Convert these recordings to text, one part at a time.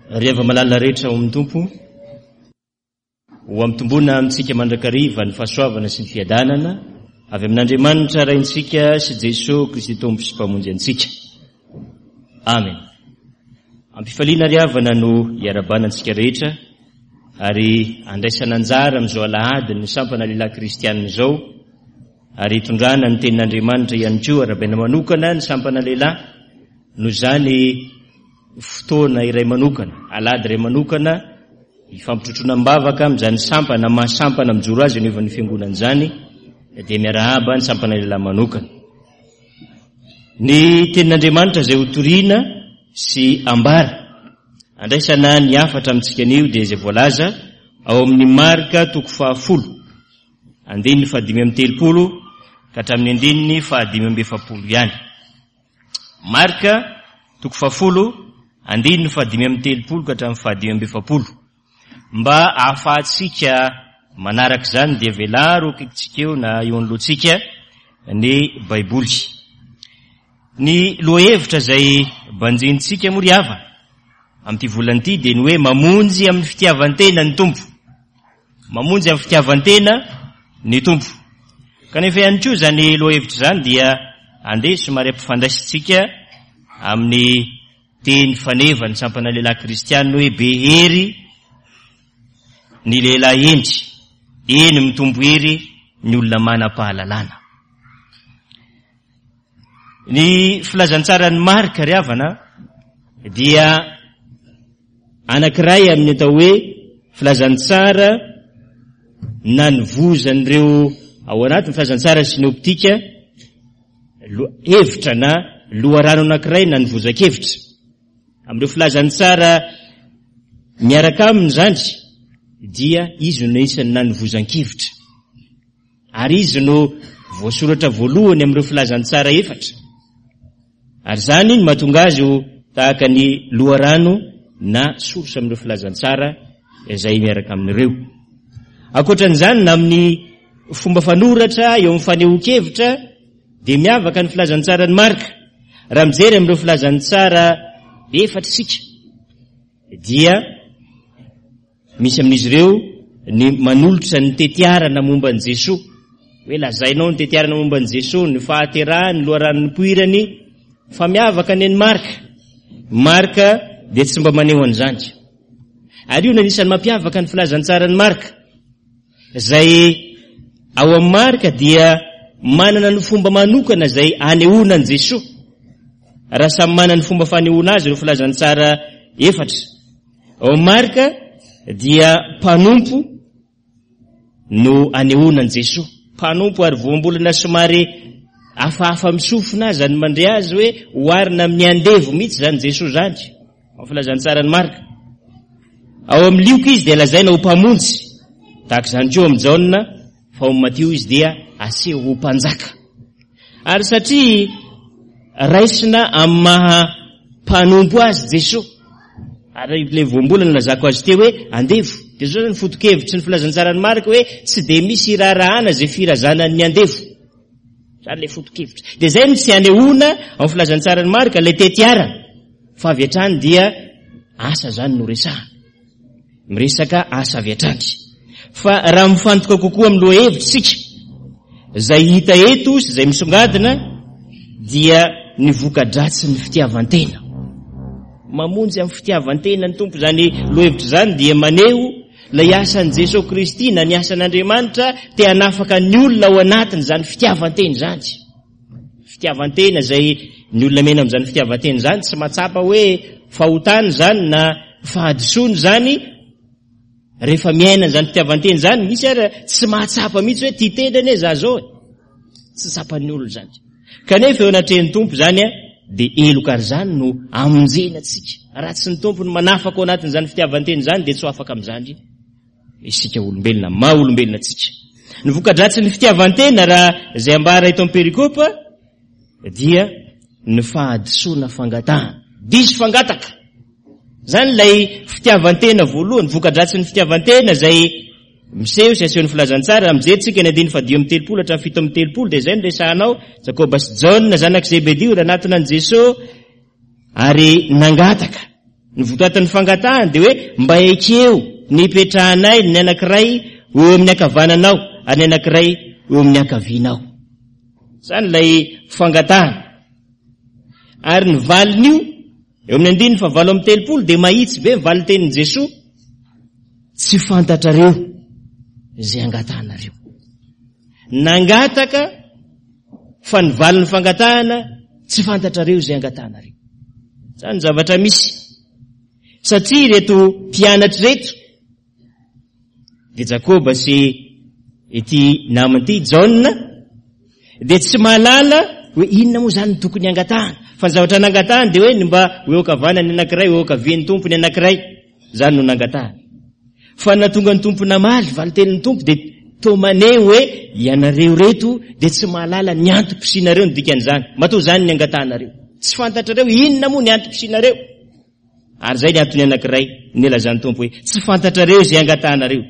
Ry hava-malala rehetra ao amin'ny Tompo, ho ampitomboina amintsika mandrakariva ny fahasoavana sy ny fiadanana avy amin'Andriamanitra Raintsika sy Jesoa Kristy Tompo sy Mpamonjy antsika. Amen. Ampifaliana ry havana no iarabana antsika rehetra ary andraisana anjara amin'izao alahady ny sampana lehilahy kristianina izao ary hitondrana ny tenin'Andriamanitra ihany koa arabaina manokana ny sampana lehilahy noho izany fotoana iray manokana, alahady iray manokana hifampitrotroana am-bavaka amin'izany sampana maha sampana mijoro azy eo anivon'ny fiangonana izany dia miarahaba ny sampana lehilahy manokana. Ny tenin'Andriamanitra izay hotorina sy ambara andraisana ny hafatra amintsika anio dia izay voalaza ao amin'ny Marka toko fahafolo andininy faha-35 ka hatramin'ny andininy faha-45 ihany. Marka, toko fahafolo, andininy faha-35 ka hatramin'ny faha-45. Mba ahafahantsika manaraka izany dia velaro akaikintsika eo na eo anoloantsika ny Baiboly. Ny lohahevitra izay banjinintsika moa ry havana amin'ity volana ity dia ny hoe mamonjy amin'ny fitiavan-tena ny Tompo. Mamonjy amin'ny fitiavan-tena ny Tompo. Kanefa ihany koa izany lohahevitra izany dia andeha somary ampifandraisintsika amin'ny teny faneva ny sampana lehilahy kristianina hoe be hery ny lehilahy hendry, eny mitombo hery ny olona manam-pahalalana. Ny filazantsaran'i Marka ry havana dia anankiray amin'ny atao hoe filazantsara nanovozan'ireo ao anatin'ny filazantsara sinoptika hevitra na loharano anankiray nanovozan-kevitra. Amin'ireo filazantsara miaraka aminy izany dia izy no isan'ny nanovozan-kevitra. Ary izy no voasoratra voalohany amin'ireo filazantsara efatra. Ary izany no mahatonga azy ho tahaka ny loharano na source amin'ireo filazantsara izay miaraka amin'ireo. Ankoatran'izany, na amin'ny fomba fanoratra eo amin'ny fanehoan-kevitra dia miavaka ny filazantsaran'i Marka. Raha mijery amin'ireo filazantsara efatra isika dia Misy amin'izy ireo ny manolotra ny tetiarana momba an'i Jesoa, hoe lazainao ny tetiarana momba an'i Jesoa, ny fahaterahany, ny loharano nipoirany, fa miavaka ny an'i Marka. Marka dia tsy mba maneho an'izany. Ary io no anisan'ny mampiavaka ny filazantsaran'i Marka. Izay ao amin'i Marka dia manana ny fomba manokana izay anehoana an'i Jesoa. Raha samy manana ny fomba fanehoana azy ireo filazantsara efatra. Ao Marka dia mpanompo no anehoana an'i Jesoa. Mpanompo ary voambolana somary hafahafa misofina aza ny mandre azy hoe oharina amin'ny andevo mihitsy izany Jesoa izany. Ao filazantsaran'i Marka. Ao amin'ny Lioka izy dia lazaina ho mpamonjy. Tahaka izany koa amin'i Jaona fa ao amin'i Matio izy dia aseho ho mpanjaka. Ary satria raisina amin'ny maha mpanompo azy Jesoa, ary ilay voambolana nilazako azy teo hoe andevo, dia izao izany foto-kevitry ny filazantsaran'i Marka hoe tsy dia misy iraharahana izay firazanan'ny andevo. Izany ilay foto-kevitra. Dia izay no tsy anehoana amin'ny filazantsaran'i Marka ilay tetiarana, fa avy hatrany dia asa izany no resahana. Miresaka asa avy hatrany. Fa raha mifantoka kokoa amin'ny lohahevitra isika, izay hita eto sy izay misongadina dia ny voka-dratsin'ny fitiavan-tena. Mamonjy amin'ny fitiavan-tena ny Tompo. Izany lohahevitra izany dia maneho ilay asan'i Jesoa Kristy na ny asan'Andriamanitra te hanafaka ny olona ao anatin'izany fitiavan-tena izany. Fitiavan-tena izay ny olona miaina amin'izany fitiavan-tena izany tsy mahatsapa hoe fahotana izany na fahadisoana izany rehefa miaina an'izany fitiavan-tena izany misy ary tsy mahatsapa mihitsy hoe tia tena anie za zao e tsy tsapan'ny olona izany kanefa eo anatrehan'ny Tompo izany a dia heloka ary izany no amonjena antsika raha tsy ny Tompo no manafaka ao anatin'izany fitiavan-tena izany dia tsy ho afaka amin'izany isika olombelona, maha olombelona antsika. Ny voka-dratsin'ny fitiavan-tena raha izay ambara eto amin'ny perikopa dia ny fahadisoana fangatahana. Diso fangataka. Izany ilay fitiavan-tena voalohany, voka-dratsin'ny fitiavan-tena izay miseho sy asehon'ny filazantsara. Raha mijery tsika ny andininy faha 35 hatramin'ny 37 dia izay no resahanao, Jakoba sy Jaona zanak'i Zebedio nanatona an'i Jesosy ary nangataka. Ny votoatin'ny fangatahany dia hoe mba ekeo ny hipetrahanay ny anankiray ho eo amin'ny ankavananao ary ny anankiray ho eo amin'ny ankavianao. Izany ilay fangatahana. Ary ny valin'io, eo amin'ny andininy fahavalo amby telopolo dia mahitsy be ny valintenin'i Jesoa, tsy fantatrareo izay angatahanareo. Nangataka fa ny valin'ny fangatahana tsy fantatrareo izay angatahanareo. Izany ny zavatra misy. Satria ireto mpianatra ireto dia Jakoba sy ity namany ity, Jaona, dia tsy mahalala hoe inona moa izany no tokony hangatahana. Fa ny zavatra nangatahany dia hoe ny mba ho eo ankavanany ny anankiray, ho eo ankavian'ny Tompo ny anankiray. Izany no nangatahany. Fa ny nahatonga ny Tompo namaly, valin-tenin'ny Tompo dia toa maneho hoe ianareo ireto dia tsy mahalala ny antom-pisianareo ny dikan'izany. Matoa izany ny angatahanareo. Tsy fantatrareo inona moa ny antom-pisianareo. Ary izay ny antony anankiray nilazan'ny Tompo hoe tsy fantatrareo izay angatahanareo.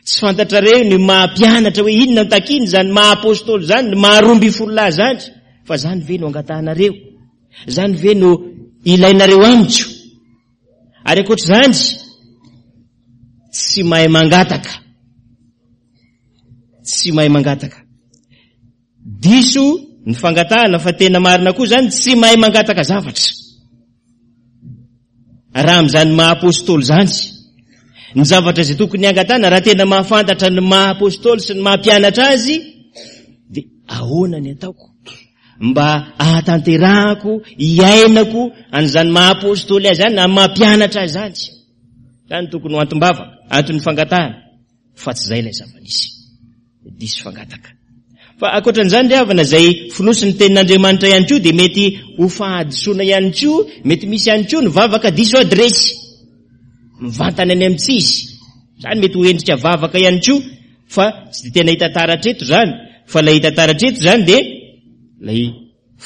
Tsy fantatrareo ny maha mpianatra hoe inona no takiany izany maha apôstôly izany, ny maha roambinifolo lahy izany. Fa izany ve no angatahanareo? Izany ve no ilainareo amiko? Ary ankoatr'izany, tsy mahay mangataka. Tsy mahay mangataka. Diso ny fangatahana fa tena marina koa izany tsy mahay mangataka zavatra. Raha amin'izany maha apôstôly izany, ny zavatra izay tokony hangatahana raha tena mahafantatra ny maha apôstôly sy ny maha mpianatra azy, dia ahoana ny ataoko? Mba ahatanterahako, hiainako an'izany maha apôstôly azy izany na maha mpianatra azy izany. Izany tokony ho antom-bavaka, anton'ny fangatahana. Fa tsy izay ilay zava-nisy. Diso fangataka. Fa ankoatran'izany ry havana, izay fonosin'ny tenin'Andriamanitra ihany koa dia mety ho fahadisoana ihany koa, mety misy ihany koa ny vavaka diso adiresy. Mivantana any amin'ny tsy izy. Izany mety ho endrika vavaka ihany koa, fa tsy dia tena hita taratra eto izany. Fa ilay hita taratra eto izany dia ilay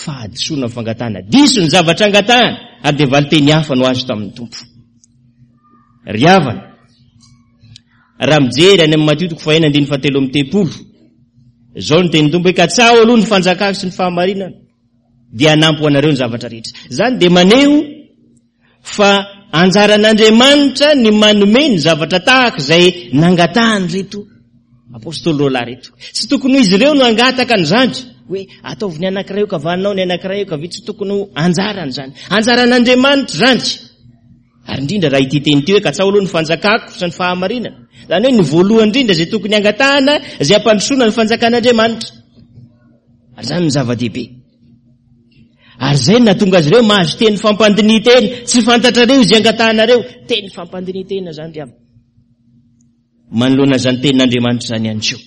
fahadisoana ny fangatahana. Diso ny zavatra angatahana ary dia valinteny hafa no azo tamin'ny Tompo. Ry havana, raha mijery any amin'ny Matio toko fahena andininy fahatelo amby telopolo, izao ny tenin'ny Tompo hoe katsaho aloha ny fanjakako sy ny fahamarinana dia hanampy ho anareo ny zavatra rehetra. Izany dia maneho fa anjaran'Andriamanitra ny manome ny zavatra tahaka izay nangatahan'ireto apôstôly roalahy ireto. Tsy tokony ho izy ireo no hangataka an'izany, hoe ataovy ny anankiray eo kavanao, ny anankiray eo kavia, tsy tokony ho anjarany izany. Anjaran'Andriamanitra izany. Ary indrindra raha ity teny ity hoe katsaho aloha ny fanjakako sy ny fahamarinana. Izany hoe ny voalohany indrindra izay tokony hangatahana izay hampandrosoana ny fanjakan'Andriamanitra. Ary izany no zava-dehibe. Ary izay no nahatonga azy ireo mahazo teny fampandinihan-tena. Tsy fantatrareo izay angatahanareo. Teny fampandinihan-tena izany ry havana. Manoloana izany tenin'Andriamanitra izany ihany koa.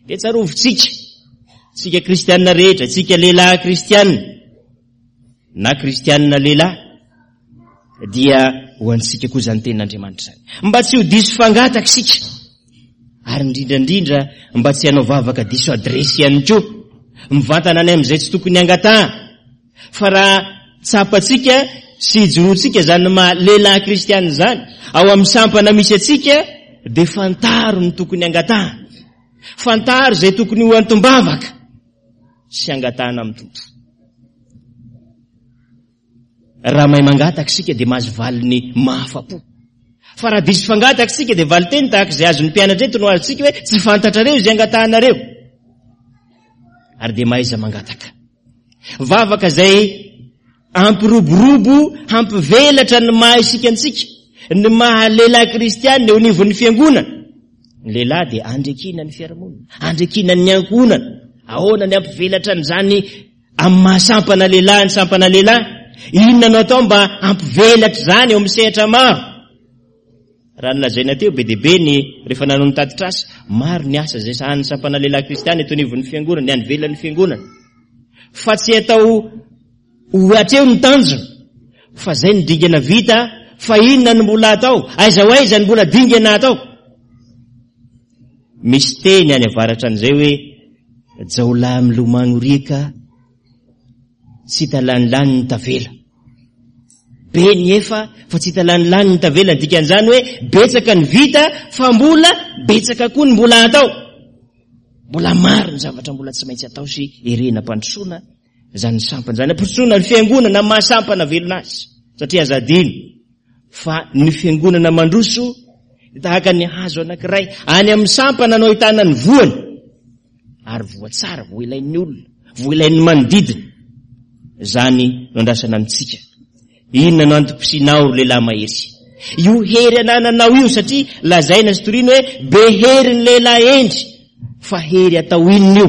Dia tsarovintsika, tsika kristianina rehetra, tsika lehilahy kristianina, na kristianina lehilahy, dia ho antsika koa izany tenin'Andriamanitra izany. Mba tsy ho diso fangataka isika, ary indrindra indrindra mba tsy hanao vavaka diso adiresy ihany koa, mivantana any amin'izay tsy tokony hangatahana. Fa raha tsapantsika sy ijoroantsika izany maha lehilahy kristianina izany, ao amin'ny sampana misy antsika, dia fantaro ny tokony hangatahana. Fantaro izay tokony ho antom-bavaka sy hangatahana amin'ny Tompo. Raha mahay mangataka isika dia mahazo valiny mahafa-po. Fa raha diso fangataka isika dia valin-teny tahaka izay azon'ny mpianatra eto no azontsika hoe tsy fantatrareo izay angatahanareo. Ary dia mahaiza mangataka. Vavaka izay hampiroborobo, hampivelatra ny maha isika antsika, ny maha lehilahy kristianina eo anivon'ny fiangonana. Ny lehilahy dia andriakina ny fiarahamonina, andriakina ny ankohonana. Ahoana ny hampivelatra an'izany Amin'ny maha sampana lehilahy ny sampana lehilahy, inona no atao mba hampivelatra izany eo amin'ny sehatra maro? Raha ny lazaina teo, be dia be ny rehefa nanao ny tatitr'asa, maro ny asa izay sahanin'ny sampana lehilahy kristiana eto anivon'ny fiangonana, ny any ivelan'ny fiangonana. Fa tsy atao ho hatreo ny tanjona, fa izay ny dingana vita, fa inona no mbola atao, aiza ho aiza ny mbola dingana atao. Misy teny any avaratra an'izay hoe jaolahy milomano riaka tsy hita lanilany ny tavela. Be ny efa fa tsy hita lanilany ny tavela, ny dikan'izany hoe betsaka ny vita fa mbola betsaka koa ny mbola atao. Mbola maro ny zavatra mbola tsy maintsy atao sy erehina ampandrosoana izany sampana izany, ampandrosoana ny fiangonana maha sampana velona azy. Satria aza adino fa ny fiangonana mandroso dia tahaka ny hazo anankiray any amin'ny sampana no ahitana ny voany. Ary voa tsara, voa ilain'ny olona, voa ilain'ny manodidina. Izany no andrasana amintsika. Inona no antom-pisianao ry lehilahy mahery? Io hery anananao io satria lazaina sy torina hoe be hery ny lehilahy hendry. Fa hery atao inona io?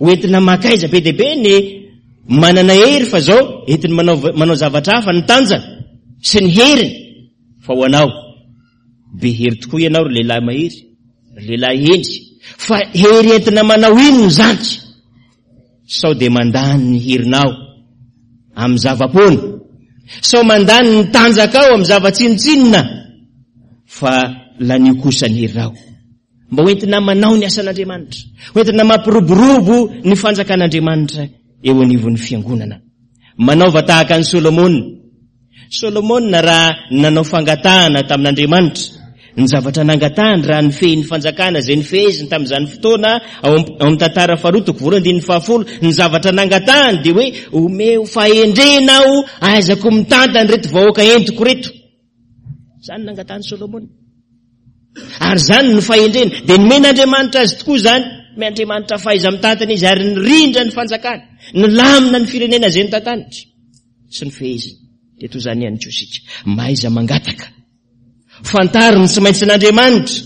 Ho entina makaiza be dia be ny manana hery fa zao entiny manao manao zavatra hafa ny tanjany sy ny heriny fa ho anao be hery tokoa ianao ry lehilahy mahery, ry lehilahy hendry fa hery entina manao inona izany? Sao dia mandany ny herinao amin'ny zava-poana, sao mandany ny tanjakao amin'ny zava-tsinontsinona fa lanio kosa ny herinao. Mba ho entina manao ny asan'Andriamanitra, ho entina mampiroborobo ny fanjakan'Andriamanitra eo anivon'ny fiangonana. Manaova tahaka an'i Solomona. Solomona raha nanao fangatahana tamin'Andriamanitra, ny zavatra nangatahany raha nifehy ny fanjakana izay nifeheziny tamin'izany fotoana ao amin'ny tantara faharoa toko voalohany andininy fahafolo, ny zavatra nangatahany dia hoe omeo fahendrena aho ahaizako mitantana ireto vahoaka entiko ireto. Izany nangatahan'i Solomona. Ary izany no fahendrena. Dia nomen'Andriamanitra azy tokoa izany. Nomen'Andriamanitra fahaiza-mitantana izy ary nirindra ny fanjakany. Nilamina ny firenena izay notantaniny sy ny feheziny. Dia toy izany ihany koa isika. Mahaiza mangataka. Fantaro ny tsy maintsy an'Andriamanitra.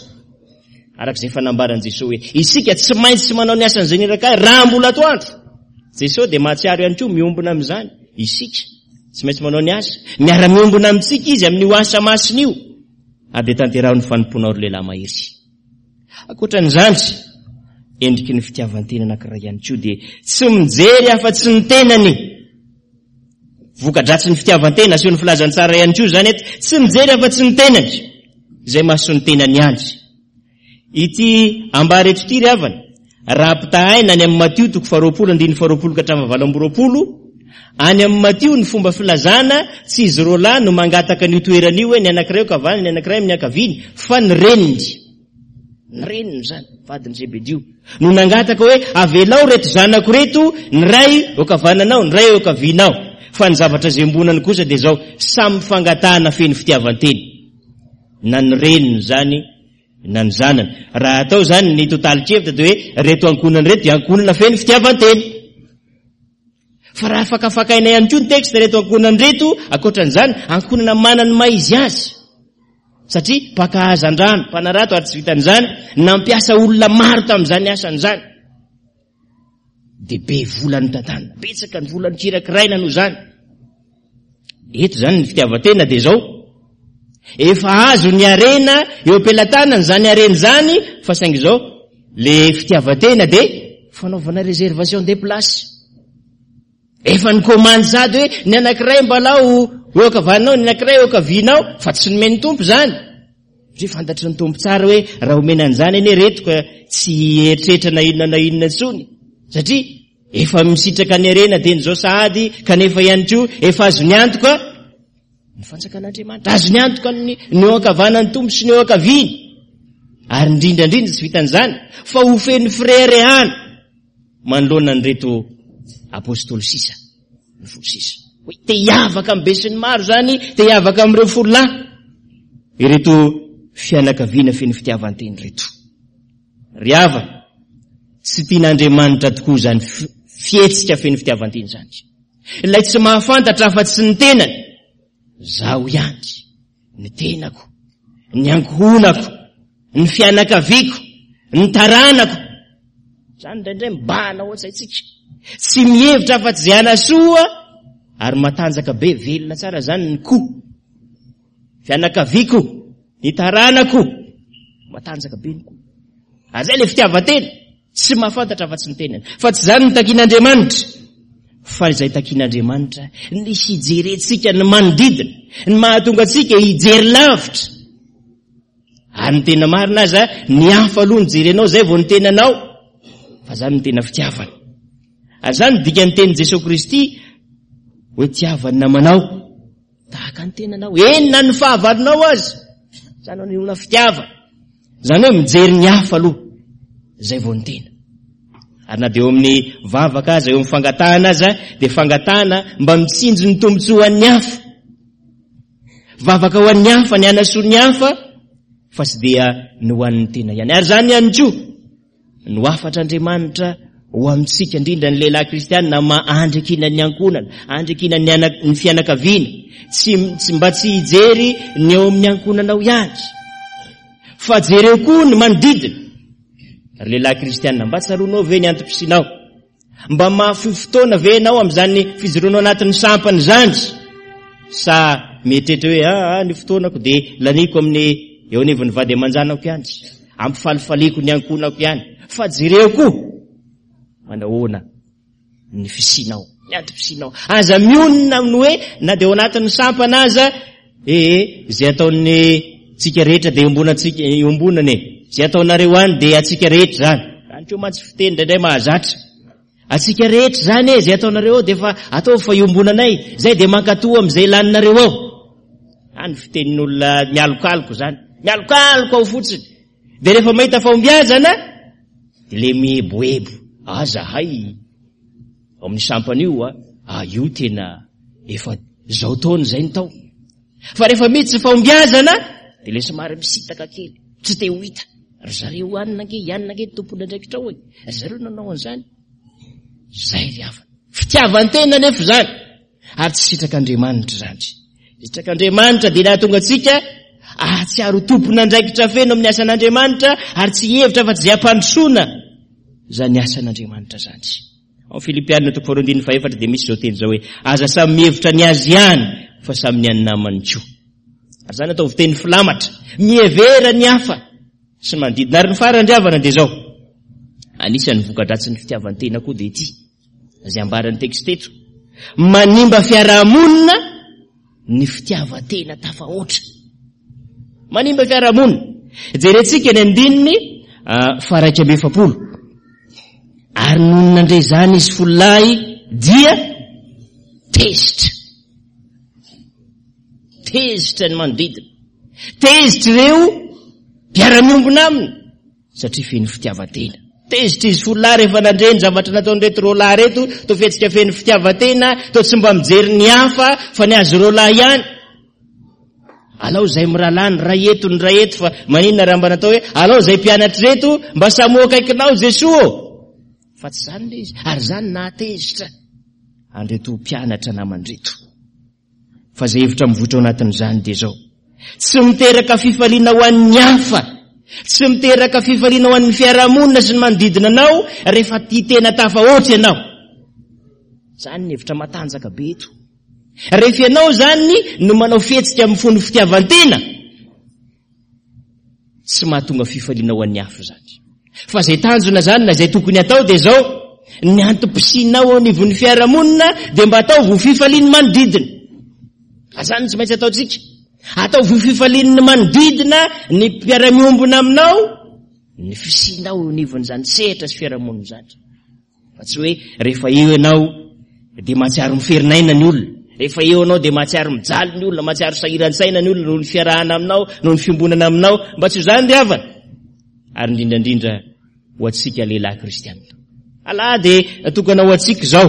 Araka izay efa nambaran'i Jesoa hoe, isika tsy maintsy manao ny asan'izay niraka ahy raha mbola atoandro. Jesoa dia mahatsiaro ihany koa miombona amin'izany. Isika tsy maintsy manao ny asa. Miara-miombona amintsika izy amin'io asa masina io. Ary dia tanteraho ny fanompoanao ry lehilahy mahery. Ankoatran'izany, endriky ny fitiavan-tena anankiray ihany koa dia tsy mijery afa-tsy ny tenany. Voka-dratsin'ny fitiavan-tena asehon'ny filazantsara ihany koa izany eto, tsy mijery afa-tsy ny tenany, izay mason'ny tenany ihany. Ity ambara eto ity ry havana, raha ampitahaina any amin'ny Matio toko faharoapolo andininy faharoapolo ka hatramin'ny 28, any amin'ny Matio ny fomba filazana tsy izy roalahy no mangataka an'io toerana io hoe ny anankiray eo ankavanany, ny anankiray amin'ny ankaviany, fa ny reniny. Ny reniny izany, vadin'i Zebedio, no nangataka hoe, Avelao ireto zanako ireto, ny iray eo ankavananao, ny iray eo ankavianao. Fa ny zavatra izay iombonany kosa dia izao, samy fangatahana feno fitiavan-tena. Na ny reniny izany, na ny zanany. Raha atao izany ny totalin-kevitra dia hoe, ireto ankohonana ireto dia ankohonana feno fitiavan-tena. Fa raha fakafakaina ihany koa ny texte ireto ankohonana ireto, ankoatran'izany, ankohonana manana ny maha izy azy. Satria mpaka hazandrano, mpanarato ary tsy vitan'izany, nampiasa olona maro tamin'izany asany izany. Dia be vola notantanina, betsaka ny vola nokirakiraina noho izany. Eto izany ny fitiavan-tena dia izao, efa azo ny harena eo am-pelatanana izany harena izany, fa saingy izao, le fitiavan-tena dia fanaovana réservation des places. Efa nikomandy sady hoe ny anankiray mbalao eo ankavananao, ny anankiray eo ankavianao, fa tsy nomen'ny Tompo izany. Satria fantatry ny Tompo tsara hoe raha omena an'izany anie reto ka tsy hieritreritra na inona na inona intsony. Satria efa misitraka ny harena dieny izao sahady, kanefa ihany koa efa azony antoka ny fanjakan'Andriamanitra. Azony antoka ny ny eo ankavanan'ny Tompo sy ny eo ankaviany. Ary indrindra indrindra tsy vitan'izany fa ho feno fireharehana. manoloana an'ireto apostoly sisa, ny folo sisa. Hoe te hiavaka amin'ny besinimaro izany, te hiavaka amin'ireo folo lahy, ireto fianakaviana feno fitiavan-tena ireto. Ry havana, tsy tian'Andriamanitra tokoa izany fihetsika feno fitiavan-tena izany. Ilay tsy mahafantatra afa-tsy ny tenany, zaho ihany. ny tenako, ny ankohonako, ny fianakaviako, ny taranako. Izany indraindray mibahana ao an-tsaintsika. Tsy mihevitra afa-tsy izay hanasoa ary matanjaka be, velona tsara izany ny ko. Fianakaviako, ny taranako, matanjaka be ny ko. Ary izay ilay fitiavan-tena. Tsy mahafantatra afa-tsy ny tenany. Fa tsy izany no takian'Andriamanitra. Fa izay takian'Andriamanitra, ny hijerentsika ny manodidina, ny mahatonga antsika hijery lavitra. Ary ny tena marina aza, ny hafa aloha no jerenao, izay vao ny tenanao. Fa izany no tena fitiavana. Ary izany no dikan'ny tenin'i Jesoa Kristy, hoe tiava ny namanao. Tahaka ny tenanao, eny na ny fahavalonao aza. Izany no anehoana fitiavana. Izany hoe mijery ny hafa aloha, izay vao ny tena. Ary na dia eo amin'ny vavaka aza, eo amin'ny fangatahana aza, dia fangatahana mba mitsinjo ny tombontsoan'ny hafa. Vavaka ho an'ny hafa, ny hanasoa ny hafa, fa tsy dia ny ho an'ny tena ihany. Ary izany ihany koa no hafatr'Andriamanitra ho amintsika, indrindra ny lehilahy kristianina, ma andriakinan'ny ny ankohonana, andriakinan'ny ny ana, ny fianakaviana, tsy, tsy mba tsy hijery ny eo amin'ny ankohonanao ihany, fa jereo koa ny manodidina. Ry lehilahy kristianina, mba tsaroanao ve ny antom-pisianao? Mba mahafoy fotoana ve ianao amin'izany fijoroanao anatin'ny sampana izany? Sa mieritreritra hoe aa ah, ny fotoanako dia laniko amin'ny eo anivon'ny vady aman-janako ihany, ampifalifaliako ny ankohonako ihany, fa jereo koa manahoana ny fisianao, ny antom-pisianao. Aza mionona amin'ny hoe na dia ao anatin'ny sampana aza, ee, izay ataon'ny tsika rehetra dia iombonantsika, iombonana e. Izay ataonareo any dia antsika rehetra izany. Izany koa mantsy fiteny indraindray mahazatra. Antsika rehetra izany e, izay ataonareo ao dia efa ataovy fa iombonanay. Izay dia mankatoa amin'izay laninareo ao. Any fitenin'olona mialokaloka izany. Mialokaloka ao fotsiny. Dia rehefa mahita fahombiazana, dia le mieboebo. Ah, zahay ao amin'ny sampana io a, ah, io tena efa zao taona izay ny tao. Fa rehefa misy tsy fahombiazana, dia le somary misintaka kely, tsy te ho hita. Ry zareo anona ange, ianona ange tompon'andraikitra ao e. Ry zareo nanao an'izany. Zay ry havana. Fitiavan-tena anefa izany. Ary tsy sitrak'Andriamanitra izany. Sitrak'Andriamanitra dia nahatonga antsika ahatsiaro tompon'andraikitra feno amin'ny asan'Andriamanitra ary tsy hihevitra fa tsy izay hampandrosoana izany asan'Andriamanitra izany. Ao Filipiana toko faharoa andininy fahefatra dia misy izao teny izao hoe aza samy mihevitra ny azy ihany fa samy ny an'ny namany koa. Ary izany ataovy teny filamatra. Mihevera ny hafa sy ny manodidina. Ary ny farany ry havana dia izao. Anisan'ny voka-dratsin'ny fitiavan-tena koa dia ity. Izay ambaran'ny texte eto. Manimba fiarahamonina ny fitiavan-tena tafahoatra. Manimba fiarahamonina. Jerentsika ny andininy ah, faharaika amby efapolo. Ary nony nandre izany izy folo lahy dia tezitra. Tezitra ny manodidina. Tezitra ireo mpiara-miombona aminy. Satria feno fitiavan-tena. Tezitra izy folo lahy rehefa nandre ny zavatra nataon'ireto roa lahy ireto, toa fihetsika feno fitiavan-tena, toa tsy mba mijery ny hafa fa ny azy roa lahy ihany. Alao izay mirahalahy ny ray eto ny ray eto fa maninona raha mba natao hoe alao izay mpianatra ireto mba samy ho akaikinao Jesoa ô! Fa tsy izany ilay izy, ary izany nahatezitra an'ireto mpianatra namany ireto. Fa izay hevitra mivoitra ao anatin'izany dia izao, tsy miteraka fifaliana ho an'ny hafa, tsy miteraka fifaliana ho an'ny fiarahamonina sy ny manodidina anao rehefa tia tena tafahoatra ianao. Izany ny hevitra matanjaka be eto. Rehefa ianao izany no manao fihetsika amin'ny fon'ny fitiavan-tena, Tsy mahatonga fifaliana ho an'ny hafa izany. Fa izay tanjona izany na izay tokony hatao dia izao, ny antom-pisianao eo anivon'ny fiarahamonina dia mba ataovy ho fifalian'ny manodidina. Izany no tsy maintsy ataontsika. Ataovy ho fifalian'ny manodidina ny mpiara-miombona aminao ny fisianao eo anivon'izany sehatra sy fiarahamonina izany. Fa tsy hoe rehefa eo ianao dia mahatsiaro miferinaina ny olona. Rehefa eo ianao dia mahatsiaro mijaly ny olona, mahatsiaro sahiran-tsaina ny olona noho ny fiarahana aminao, noho ny fiombonana aminao. Mba tsy ho izany ry havana. Ary indrindra indrindra ho antsika lehilahy kristianina. Alahady natokana ho antsika izao.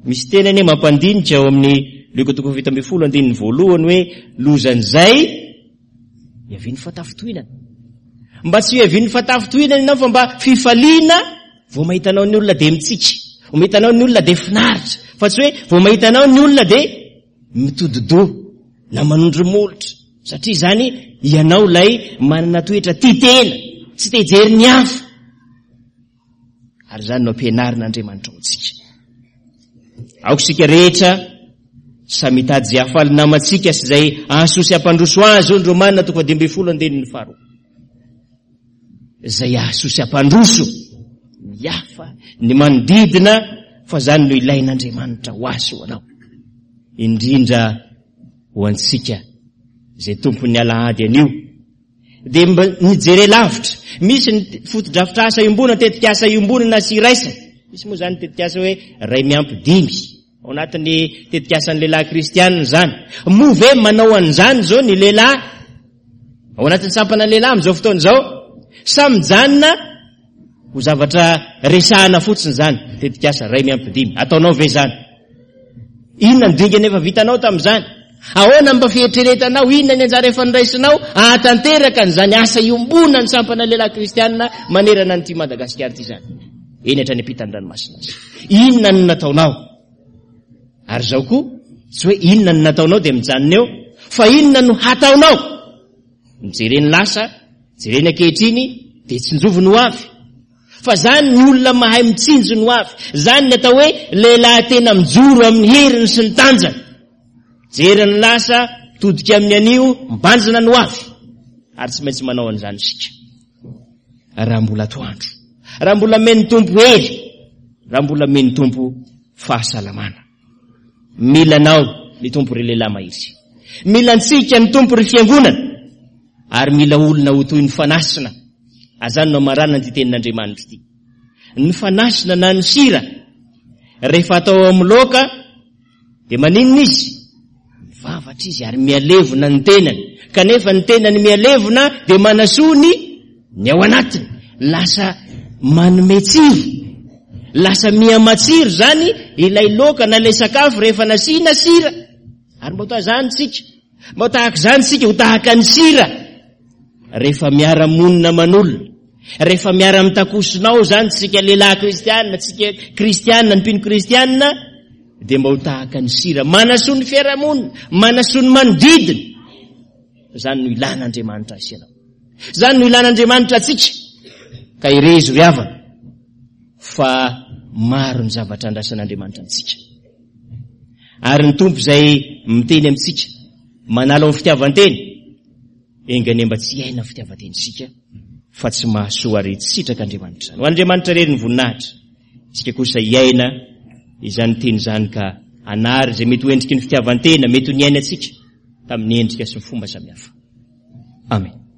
Misy teny anie mampandinika ao amin'ny Lioka toko 17 andininy voalohany hoe lozan'izay Hiavian'ny fahatafintohinana. Mba tsy hiavian'ny fahatafintohinana ianao fa mba fifaliana vao mahita anao ny olona dia mitsiky. Vao mahita anao ny olona dia finaritra. Fa tsy hoe vao mahita anao ny olona dia mitodi-doha na manondro molotra. Satria izany ianao ilay manana toetra tia tena, tsy te hijery ny hafa. Ary izany no ampianarin'Andriamanitra ho antsika. Aoka isika rehetra samy hitady izay hahafaly namantsika sy izay hahasoa sy hampandroso azy, hoy ny Romana toko 15 andininy faharoa. Izay hahasoa sy hampandroso ny hafa, ny manodidina, fa izany no ilain'Andriamanitra ho ahy sy ho anao. Indrindra ho antsika izay tompon'ny alahady anio. Dia mba mijere lavitra. Misy ny fotodrafitrasa iombonana, tetikasa iombonana sy iraisana. Misy moa izany tetikasa hoe ray miampy dimy. Ao anatin'ny tetikasan'ny lehilahy kristianina izany. Moa ve manao an'izany izao ny lehilahy ao anatin'ny sampana lehilahy amin'izao fotoana izao? Sa mijanona ho zavatra resahana fotsiny izany tetikasa ray miampy dimy? Ataonao ve izany? Inona ny dingana efa vitanao tamin'izany? Ahoana mba fieritreretanao, inona ny anjara efa noraisinao hahatanteraka an'izany asa iombonan'ny sampana lehilahy kristiana manerana an'ity Madagasikara ity izany? Eny hatrany ampitan'ny ranomasina aza. Inona no nataonao? Ary izao koa, tsy hoe inona no nataonao dia mijanona eo, fa inona no hataonao? Mijereny lasa, jereny ankehitriny, dia tsinjovy ny ho avy. Fa zany ny olona mahay mitsinjo ny ho avy. Zany ny atao hoe lehilahy tena mijoro amin'ny heriny sy ny tanjany. Jery ny lasa, mitodika amin'ny anio, mibanjina ny ho avy. Ary tsy maintsy manao an'izany isika. Raha mbola atoandro. Raha mbola omen'ny Tompo hery. Raha mbola omen'ny Tompo fahasalamana. Mila anao ny Tompo ry lehilahy mahery. Mila antsika ny Tompo ry fiangonana. Ary mila olona ho toy ny fanasina. Azany no amaranana ity tenin'Andriamanitra ity. Ny fanasina na ny sira rehefa atao amin'ny laoka dia maninona izy? Mivavatra izy ary mihalevona ny tenany. Kanefa ny tenany mihalevona dia manasoa ny ny ao anatiny. Lasa manome tsiro. Lasa miha-matsiro izany ilay laoka na ilay sakafo rehefa nasiana sira. Ary mba ho toa izany isika. Mba ho tahaka izany isika, ho tahaka ny sira. Rehefa miara-monina aman'olona, rehefa miara-mitakosona ao izany tsika lehilahy kristianina, tsika kristianina, ny mpino kristianina, dia mba ho tahaka ny sira. Manasoa ny fiarahamonina, manasoa ny manodidina. Izany no ilan'Andriamanitra azy ianao. Izany no ilan'Andriamanitra antsika. Ka irezo ry havana fa maro ny zavatra andrasan'Andriamanitra amintsika. Ary ny Tompo izay miteny amintsika, manala ao fitiavan-tena, enga anie mba tsy hiaina fitiavan-tena isika, fa tsy mahasoa ary tsy sitrak'Andriamanitra izany. Ho an'Andriamanitra irery ny voninahitra. Isika kosa hiaina izany teny izany ka hanary izay mety ho endriky ny fitiavan-tena, mety ho niainantsika tamin'ny endrika sy ny fomba samihafa. Amen.